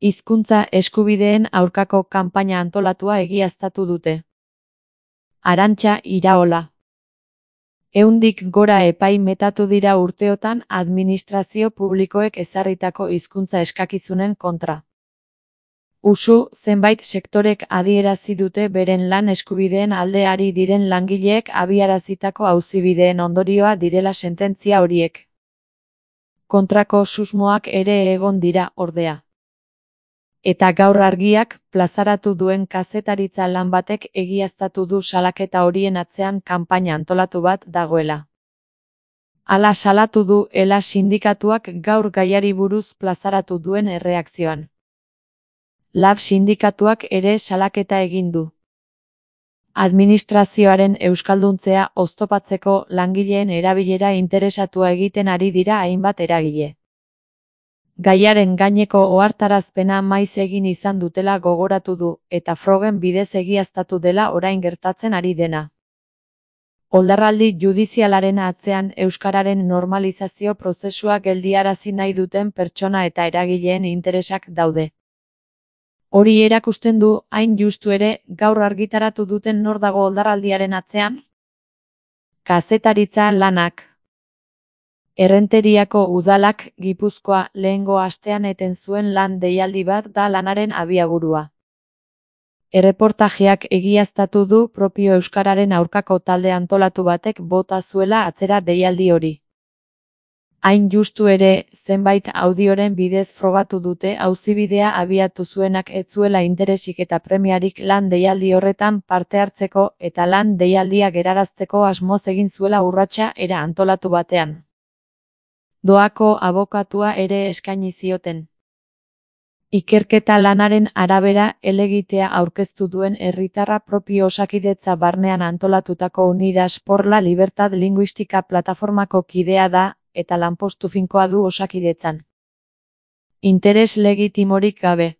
Hizkuntza eskubideen aurkako kanpaina antolatua egiaztatu dute. Arantxa Iraola. 100 gora epai metatu dira urteotan administrazio publikoek ezarritako hizkuntza eskakizunen kontra. Usu, zenbait sektorek adierazi dute beren lan eskubideen alde ari diren langileek abiarazitako auzibideen ondorioa direla sententzia horiek. Kontrako susmoak ere egon dira, ordea. Eta gaur Argiak plazaratu duen kazetaritza lan batek egiaztatu du salaketa horien atzean kanpaina antolatu bat dagoela. Hala salatu du ELA sindikatuak gaur gaiari buruz plazaratu duen erreakzioan. LAB sindikatuak ere salaketa egin du. Administrazioaren euskalduntzea oztopatzeko langileen erabilera interesatua egiten ari dira hainbat eragile. Gaiaren gaineko ohartarazpena maiz egin izan dutela gogoratu du, eta frogen bidez egiaztatu dela orain gertatzen ari dena. Oldarraldi judizialaren atzean euskararen normalizazio prozesua geldiarazi nahi duten pertsona eta eragileen interesak daude. Hori erakusten du, hain justu ere, gaur argitaratu duten nor dago oldarraldiaren atzean? Kazetaritza lanak. Errenteriako udalak Gipuzkoa lehengo astean eten zuen lan deialdi bat da lanaren abiaburua. Erreportajeak egiaztatu du propio euskararen aurkako talde antolatu batek bota zuela atzera deialdi hori. Hain justu ere, zenbait audioren bidez frogatu dute auzibidea abiatu zuenak ez zuela interesik eta premiarik lan deialdi horretan parte hartzeko eta lan deialdia gerarazteko asmoz egin zuela urratsa era antolatu batean. Doako abokatua ere eskaini zioten. Ikerketa lanaren arabera helegitea aurkeztu duen herritarra propio Osakidetza barnean antolatutako Unidas por la Libertad Linguística plataformako kidea da, eta lanpostu finkoa du Osakidetzan. Interes legitimorik gabe.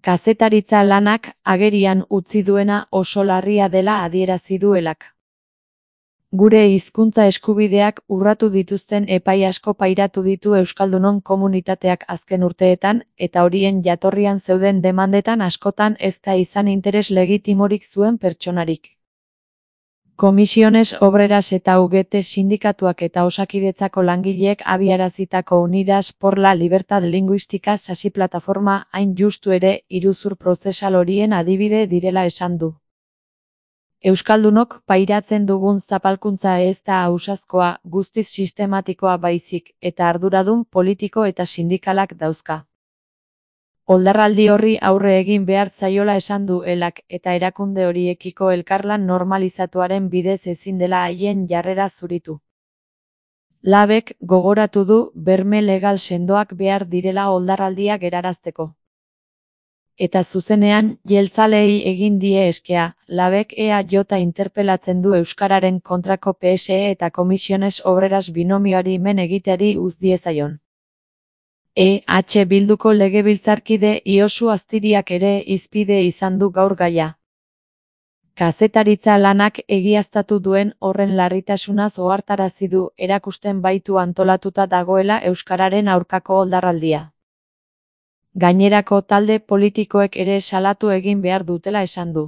Kazetaritza lanak agerian utzi duena oso larria dela adierazi duelak. Gure hizkuntza eskubideak urratu dituzten epai asko pairatu ditu euskaldunon komunitateak azken urteetan, eta horien jatorrian zeuden demandetan askotan ez da izan interes legitimorik zuen pertsonarik. Komisiones Obreras eta UGT sindikatuak eta Osakidetzako langileek abiarazitako Unidas por la Libertad Linguística sasi plataforma hain justu ere iruzur prozesal horien adibide direla esan du. Euskaldunok pairatzen dugun zapalkuntza ez da ausazkoa, guztiz sistematikoa baizik, eta arduradun politiko eta sindikalak dauzka. Oldarraldi horri aurre egin behar zaiola esan du ELAk, eta erakunde horiekiko elkarlan normalizatuaren bidez ezin dela haien jarrera zuritu. LABek gogoratu du berme legal sendoak behar direla oldarraldia gerarazteko. Eta zuzenean, jeltzaleei egin die eskea, LABek EAJ interpelatzen du euskararen kontrako PSE eta Komisiones Obreras binomioari men egiteari uz diezaion. EH Bilduko legebiltzarkide Iosu Aztiriak ere hizpide izan du gaur gaia. Kazetaritza lanak egiaztatu duen horren larritasunaz ohartarazi du erakusten baitu antolatuta dagoela euskararen aurkako oldarraldia. Gainerako talde politikoek ere salatu egin behar dutela esan du.